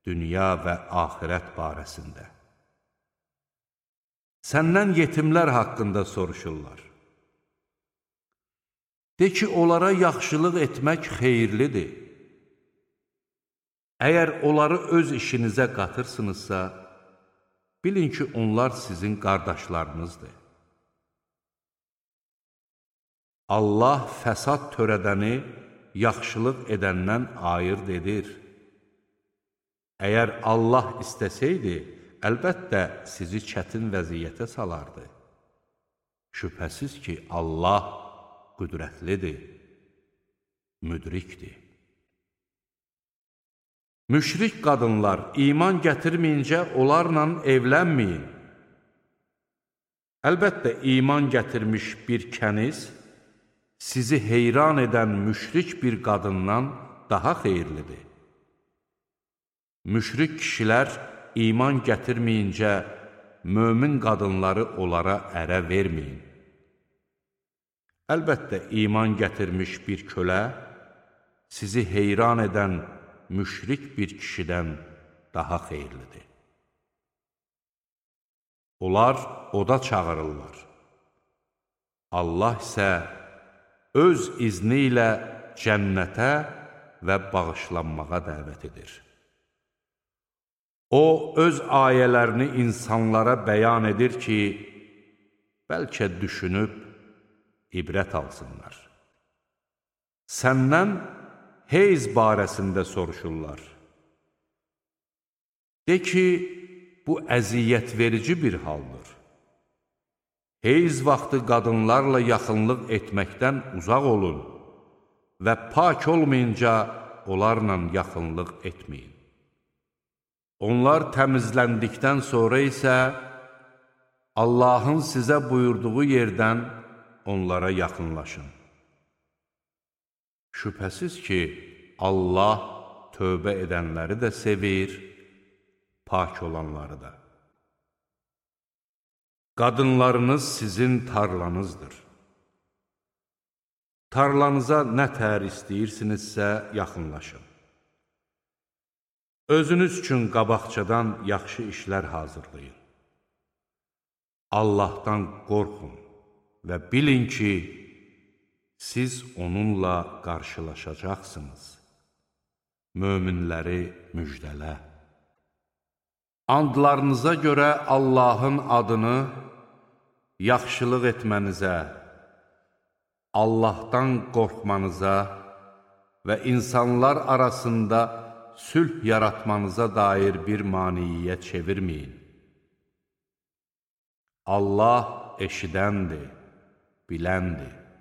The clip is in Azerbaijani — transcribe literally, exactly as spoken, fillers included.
dünya və axirət barəsində. Səndən yetimlər haqqında soruşurlar. De ki, onlara yaxşılıq etmək xeyirlidir. Əgər onları öz işinizə qatırsınızsa, bilin ki, onlar sizin qardaşlarınızdır. Allah fəsad törədəni yaxşılıq edəndən ayırd edir. Əgər Allah istəsəydi, əlbəttə sizi çətin vəziyyətə salardı. Şübhəsiz ki, Allah qüdrətlidir, müdrikdir. Müşrik qadınlar iman gətirməyincə onlarla evlənməyin. Əlbəttə, iman gətirmiş bir kəniz sizi heyran edən müşrik bir qadından daha xeyirlidir. Müşrik kişilər iman gətirməyincə mömin qadınları onlara ərə verməyin. Əlbəttə, iman gətirmiş bir kölə sizi heyran edən müşrik bir kişidən daha xeyirlidir. Onlar oda çağırırlar. Allah isə öz izni ilə cənnətə və bağışlanmağa dəvət edir. O, öz ayələrini insanlara bəyan edir ki, bəlkə düşünüb ibrət alsınlar. Səndən heyz barəsində soruşurlar. De ki, bu əziyyət verici bir haldır. Heyz vaxtı qadınlarla yaxınlıq etməkdən uzaq olun və pak olmayınca onlarla yaxınlıq etməyin. Onlar təmizləndikdən sonra isə Allahın sizə buyurduğu yerdən onlara yaxınlaşın. Şübhəsiz ki, Allah tövbə edənləri də sevir, pak olanları da. Qadınlarınız sizin tarlanızdır. Tarlanıza nə tər istəyirsinizsə yaxınlaşın. Özünüz üçün qabaqcadan yaxşı işlər hazırlayın. Allahdan qorxun və bilin ki, siz onunla qarşılaşacaqsınız. Möminləri müjdələ. Andlarınıza görə Allahın adını yaxşılıq etmənizə, Allahdan qorxmanıza və insanlar arasında sülh yaratmanıza dair bir maniyə çevirməyin. Allah eşidəndir, biləndir.